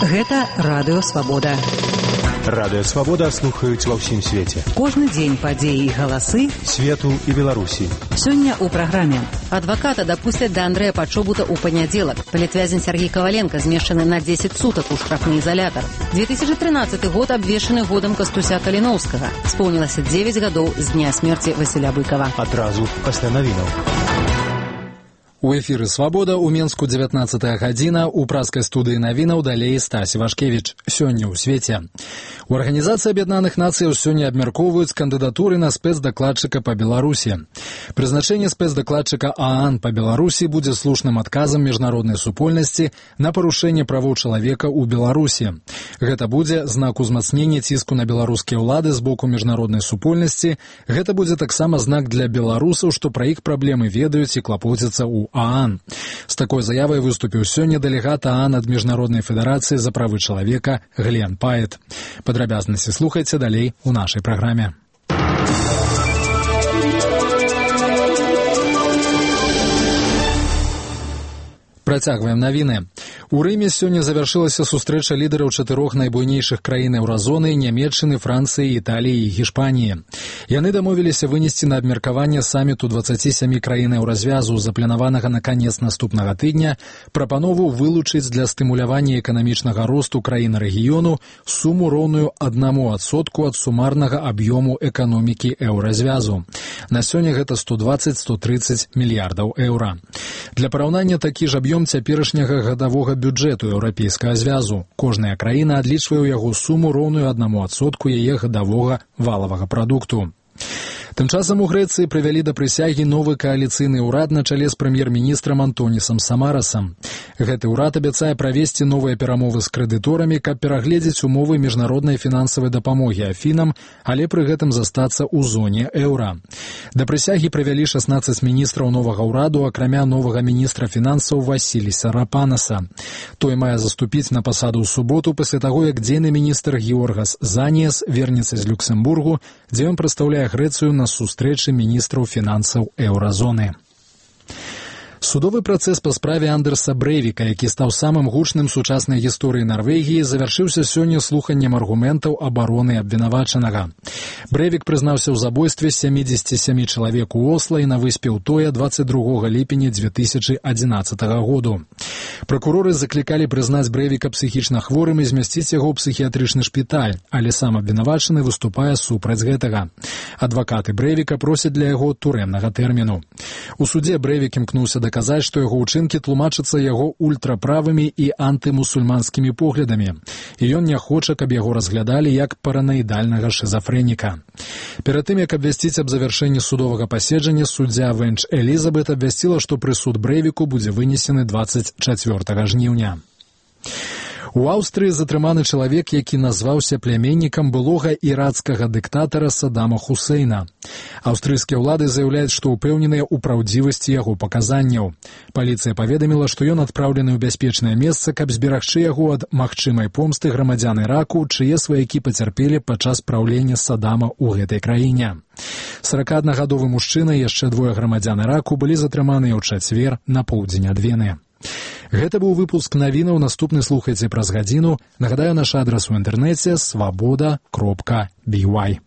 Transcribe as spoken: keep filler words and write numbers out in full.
Гэта Радыё Свабода. Радыё Свабода слухаюць ва ўсім свеце. Кожны дзень падзеі і галасы свету і Беларусі. Сёння ў праграме. Адваката дапусцяць да Андрэя Пачобута ў панядзелак. Палітвязень Сергей Коваленко змешчаны на дзесяць сутак у штрафны изолятор. две тысячи тринадцаты год абвешчаны годам Кастуся Каліноўскага. Споўнілася дзевяць гадоў з дня смерці Васіля Быкова. Адразу пасля навінаў. У эфіры «Свабода» у Менску дзевятнаццатая гадзіна, у праскай студыі навінаў далей Стась Вашкевіч. Сёння ў свеце. У Арганізацыі Аб'яднаных Нацыяў сёння абмяркоўваюць кандыдатуры на спецдакладчыка па Беларусі. Прызначэнне спецдакладчыка ААН па Беларусі будзе слушным адказам міжнароднай супольнасці на парушэнне правоў чалавека ў Беларусі. Гэта будзе знак узмацнення ціску на беларускія ўлады з боку міжнароднай супольнасці. Гэта будзе таксама знак для беларусаў, што пра іх праблемы ведаюць і клапоцяцца ў ААН. З такой заявай выступіў сёння дэлегат ААН ад Міжнароднай федэрацыі за правы чалавека Глен Паэт. Падрабязнасці слухайце далей у нашай праграме. Працягваем навіны. У Рыме сёння завяршылася сустрэча лідараў чатырох найбуйнейшых краін еўразоны – Нямецчыны, Францыі, Італіі і Гішпаніі. Яны дамовіліся вынесці на абмеркаванне саміту дваццаці сямі краін еўразвязу, запланаванага на канец наступнага тыдня, прапанову вылучыць для стымулявання эканамічнага росту краін рэгіёну суму роўную аднаму адсотку ад сумарнага аб'ёму эканомікі еўразвязу. На сёння гэта сто дваццаць - сто трыццаць мільярдаў еўра. Для параўнання такі ж аб'ём цяперашняга гадавога бюджэту еўрапейскага звязу. Кожная краіна адлічвае ў яго суму роўную аднаму адсотку яе гадавога валавага прадукту. Тым часам у Грэцыі прывялі да прысягі новы кааліцыйны ўрад на чале з прэм'ер-міністрам Антонісам Самарасам. Гэты ўрад абяцае правесці новыя перамовы з крэдыторамі, каб перагледзець умовы міжнароднай фінансавай дапамогі Афінам, але пры гэтым застацца ў зоне еўра. Да прысягі прывялі шаснаццаць міністраў новага ўраду, акрамя новага міністра фінансаў Васіліса Рапанаса. Той мае заступіць на пасаду ў суботу пасля таго, як дзейны міністр Георгас Заніяс вернецца з Люксембургу, дзе ён прадстаўляе Грэцыю на сустрэчы міністраў фінансаў еўразоны. Судовы працэс па справе Андерса Брэйвіка, які стаў самым гучным сучаснай гісторыі Нарвегіі, завяршыўся сёння слуханнем аргументаў абароны абвінавачанага. Брэйвік прызнаўся ў забойстве сямідзесяці сямі чалавек у Осла і на выспе Утоя дваццаць другога ліпеня дзве тысячы адзінаццатага году. Пракуроры заклікалі прызнаць Брэйвіка псіхічна хворым і змясціць яго ў псіхіятрычны шпіталь, але сам абвінавачаны выступае супраць гэтага. Адвакаты Брэйвіка просяць для яго турэмнага тэрміну. У судзе Брэйвік імкнуўся даказаць, што яго ўчынкі тлумачацца яго ультраправымі і антымусульманскімі поглядамі, і ён не хоча, каб яго разглядалі як параноідальнага шизафрэніка. Перад тым, як абвясціць аб завяршэнні судовага паседжання, суддзя Венч Элізабет абвясціла, што прысуд Брэйвіку будзе вынесены дваццаць чацвёртага жніўня. У Аўстрыі затрыманы чалавек, які назваўся пляменнікам былога ірацкага дыктатара Саддама Хусейна. Аўстрыйскія ўлады заяўляюць, што ўпэўненыя ў праўдзівасці яго паказанняў. Паліцыя паведаміла, што ён адпраўлены ў бяспечнае месца, каб зберагчы яго ад магчымай помсты грамадзян Іраку, чые сваякі пацярпелі падчас праўлення Саддама ў гэтай краіне. саракааднагадовы мужчына і яшчэ двое грамадзян Іраку былі затрыманыя ў чацвер на поўдзень ад Вены. Гэта быў выпуск навінаў, наступны слухайце праз гадзіну. Нагадаю, наш адрас у інтэрнэце свабода кропка би вай.